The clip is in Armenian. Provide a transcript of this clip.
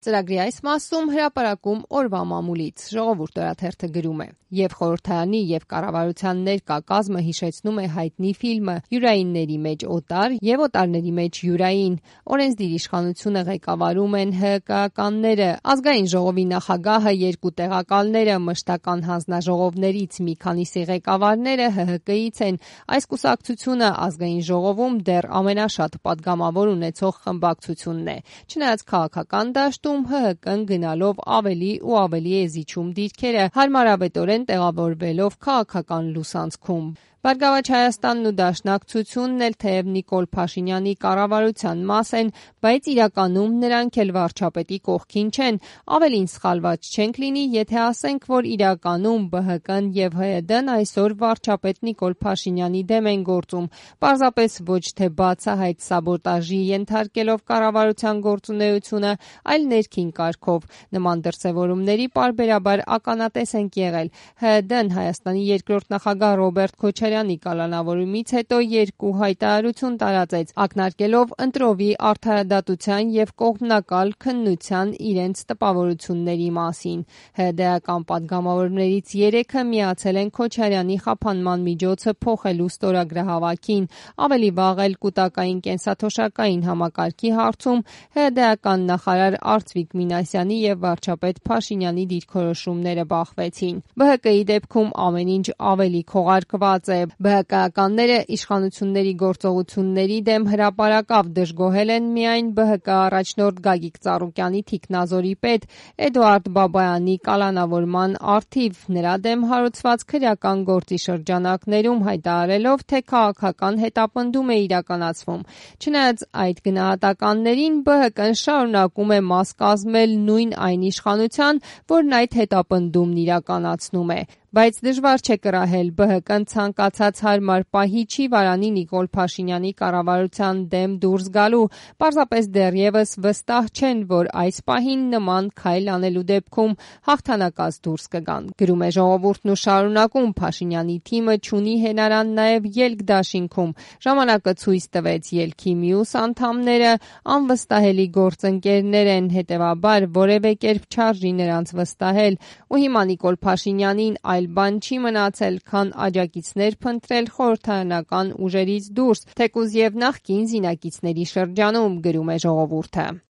Ծրագրի այս մասում հրապարակում օրվա մամուլից ժողովուրդ օրաթերթը գրում է. Եվ խորհրդարանի եւ կառավարության ներկա կազմը հիշեցնում է հայտնի ֆիլմը «Յուրայինների մեջ օտար» եւ «Օտարների մեջ յուրային»։ Օրենսդիր իշխանությունը ղեկավարում են ՀԿ-ականները, ազգային ժողովի նախագահը, երկու տեղակալները, մշտական հանձնաժողովներից մի քանիսի ղեկավարները ՀՀԿ-ից են։ Այս կուսակցությունը ազգային ժողովում դեռ ամենաշատ պատգամավոր ունեցող խմբակցությունն է։ Չնայած քաղաքական դաշտում ՀՀԿ-ն գնալով ավելի ու ավելի է զիջում դիրքերը, հարմարավետորեն տեղավորվելով քաղաքական լուսանցքում։ Բարգավաճ Հայաստանն ու Դաշնակցությունն էլ թեև Նիկոլ Փաշինյանի կառավարության մաս են, բայց իրականում նրանք էլ վարչապետի կողքին չեն։ Ավելին սխալված չենք լինի, եթե ասենք, որ իրականում ԲՀԿ-ն եւ ՀՅԴ-ն այսօր վարչապետ Նիկոլ Փաշինյանի դեմ են գործում, պարզապես ոչ թե բացահայտ սաբոտաժի ենթարկելով կառավարության գործունեությունը, այլ ներքին կարգով։ Նման դրսևորումների պարբերաբար ականատես ենք եղել։ ՀՅԴ-ն Հայաստանի երկրորդ նախագահ Ռոբերտ Քոչարյանի կալանավորումից հետո երկու հայտարարություն տարածեց, ակնարկելով ընտրովի արդարադատության եւ կողմնակալ քննության իրենց տպավորությունների մասին։ ՀՅԴ-ական պատգամավորներից 3-ը միացել են Քոչարյանի խափանման միջոցը փոխելու ստորագրահավաքին։ Ավելի վաղ էլ կուտակային կենսաթոշակային համակարգի հարցում ՀՅԴ-ական նախարար Արծվիկ Մինասյանի եւ վարչապետ Փաշինյանի դիրքորոշումները բախվեցին։ ԲՀԿ-ի դեպքում ամեն ինչ ավելի քողարկված է։ ԲՀԿ-ականները իշխանությունների գործողությունների դեմ հրապարակավ դժգոհել են միայն ԲՀԿ առաջնորդ Գագիկ Ծառուկյանի թիկնազորի պետ Էդուարդ Բաբայանի կալանավորման առթիվ նրա դեմ հարուցված քրեական գործի շրջանակներում հայտարարելով, թե քաղաքական հետապնդում է իրականացվում։ Չնայած այդ գնահատականներին, ԲՀԿ-ն շարունակում է մաս կազմել նույն այն իշխանության, որն այդ հետապնդումն իրականացնում է։ Բայց դժվար չէ կռահել, ԲՀԿ-ն ցանկացած հարմար պահի չի վարանի Նիկոլ Փաշինյանի կառավարության դեմ դուրս գալու, պարզապես դեռևս վստահ չեն, որ այս պահին նման քայլ անելու դեպքում հաղթանակած դուրս կգան։ Գրում է ժողովուրդն ու շարունակում. Փաշինյանի թիմը չունի հենարան նաև ելք դաշինքում։ Ժամանակը ցույց տվեց ելքի մյուս անդամները անվստահելի գործընկերներ են, հետևաբար որևէ կերպ չարժի նրանց վստահել։ Ու հիմա Նիկոլ Փաշինյանին այլ բան չի մնացել, քան աջակիցներ փնտրել խորհրդարանական ուժերից դուրս, թեկուզ եւ նախկին զինակիցների շրջանում, գրում է ժողովուրդը։